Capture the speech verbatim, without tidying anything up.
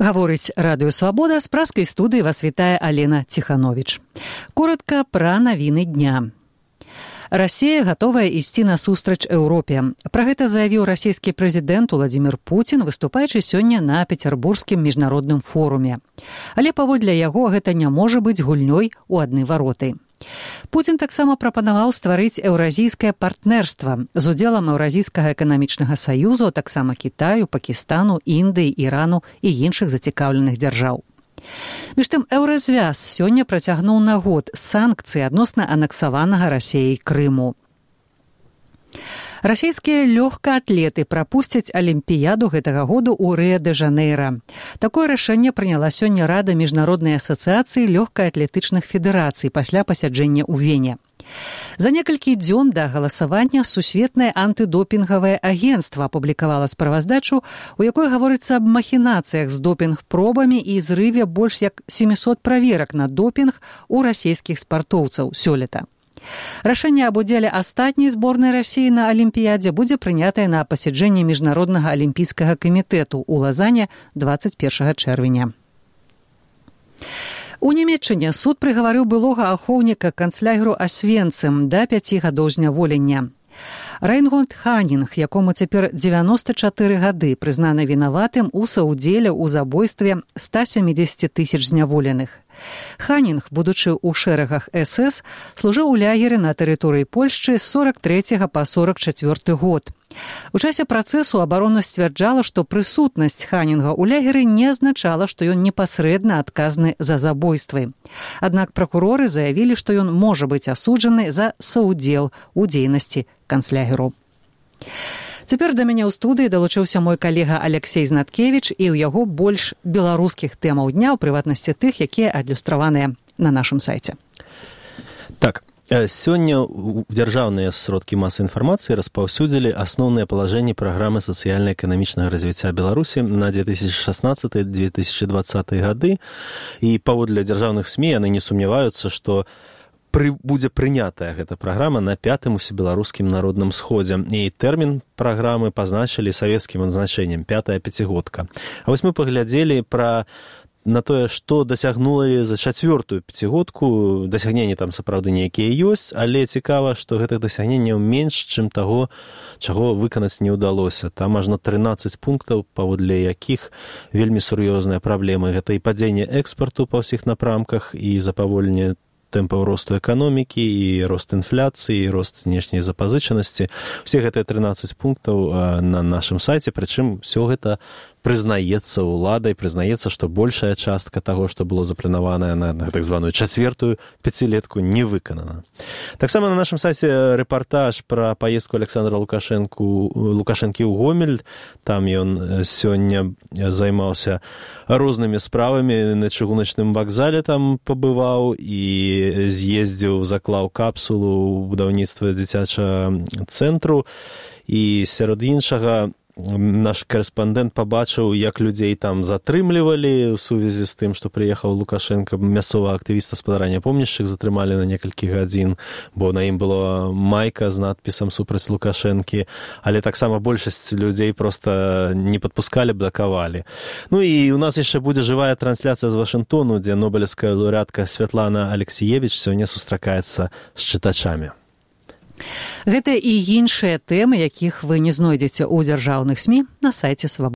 Гаворыць Радыё Свабода, з праскай студыі вас вітае Алена Ціхановіч. Коротка пра навіны дня. Расія гатовая ісці насустрач Еўропе. Пра гэта заявіў расійскі прэзідэнт Уладзімір Пуцін, выступаючы сёння на Пецярбургскім міжнародным форуме. Але паводле яго гэта не можа быць гульнёй у адны вароты. Пуцін таксама прапанаваў стварыць еўразійскае партнерства з удзелам Еўразійскага эканамічнага саюзу, а таксама Кітаю, Пакістану, Індыі, Ірану і іншых зацікаўленых дзяржаў. Між тым, еўразвяз сёння працягнуў на год санкцыі адносна анексаванага Расіяй Крыму. Расійскія лёгкаатлеты прапусцяць алімпіяду гэтага году ў Рыа-дэ-Жанэйра. Такое рашэнне прыняла сёння Рада міжнароднай асацыяцыі лёгкаатлетычных федэрацый пасля пасяджэння ў Вене. За некалькі дзён да галасавання Сусветнае антыдопінгавае агенцтва апублікавала справаздачу, у якой гаворыцца аб махінацыях з допінг-пробамі і зрыве больш як сямісот праверак на допінг у расійскіх спартоўцаў сёлета. Рашэнне аб удзеле астатняй зборнай Расіі на алімпіядзе будзе прынятае на пасяджэнні Міжнароднага алімпійскага камітэту ў Лазане дваццаць першага чэрвеня. У Нямецчыне суд прыгаварыў былога ахоўніка канцлягеру Асвенцым да пяці гадоў зняволення. Райнгольд Ханінг, якому цяпер дзевяноста чатыры гады, прызнаны вінаватым у саўдзеле ў забойстве ста сямідзесяці тысяч зняволеных. Ханінг, будучы ў шэрагах эс эс, служыў у лягеры на тэрыторыі Польшчы з сорак трэцяга па сорак чацвёрты год. У часе працэсу абарона сцвярджала, што прысутнасць Ханінга ў лягеры не азначала, што ён непасрэдна адказны за забойствы. Аднак пракуроры заявілі, што ён можа быць асуджаны за саўдзел у дзейнасці канцлягеру. Цяпер да мяне ў студыі далучыўся мой калега Алексей Знаткевіч, і ў яго больш беларускіх тэмаў дня, у прыватнасці тых, якія адлюстраваныя на нашым сайце. Так, сёння дзяржаўныя сродкі масавай інфармацыі распаўсюдзілі асноўныя палажэнні праграмы сацыяльна-эканамічнага развіцця Беларусі на две тысячи шаснаццаты - две тысячи двадцаты гады, і паводле дзяржаўных СМІ яны не сумняваюцца, што Пры, будзе прынятая гэта праграма на пятым усебеларускім народным сходзе. І тэрмін праграмы пазначылі савецкім адзначэннем пятая пяцігодка. А вось мы паглядзелі пра на тое, што дасягнулі за чацвёртую пяцігодку. Дасягненні там сапраўды нейкія ёсць, але цікава, што гэтых дасягненняў менш, чым таго, чаго выканаць не ўдалося. Там ажно трынаццаць пунктаў, паводле якіх вельмі сур'ёзныя праблемы. Гэта і падзенне экспарту па ўсіх напрамках, і запаволенне тэмпаў росту эканомікі, і рост інфляцыі, і рост знешняй запазычанасці. Усе гэтыя трынаццаць пунктаў на нашым сайце, прычым усё гэта прызнаецца ўладай, прызнаецца, што большая частка таго, што было запланаванае на, на так званую чацвертую пяцілетку, не выканана. Таксама на нашым сайце рэпартаж пра паездку Александра Лукашэнку, Лукашэнкі ў Гомель. Там ён сёння займаўся рознымі справамі, на чыгуначным вакзале там пабываў і з'ездзіў, заклаў капсулу ў будаўніцтва дзіцячага цэнтру. І сярод іншага наш корэспандэнт пабачыў, як людзей там затрымлівалі ў сувязі з тым, што прыехаў Лукашенко, мясцовага актывіста спадарання помнішчык затрымалі на некалькі гадзін, бо на ім была майка з надпісам супраць Лукашэнкі, але таксама большасць людзей проста не падпускалі, блакавалі. Ну і у нас яшчэ будзе жывая трансляцыя з Вашынгтону, дзе нобелеўская лаўрэатка Святлана Алексіевіч сёння сустракаецца з чытачамі. Гэта і іншыя тэмы, якіх вы не знойдзеце ў дзяржаўных СМІ на сайце Свабоды.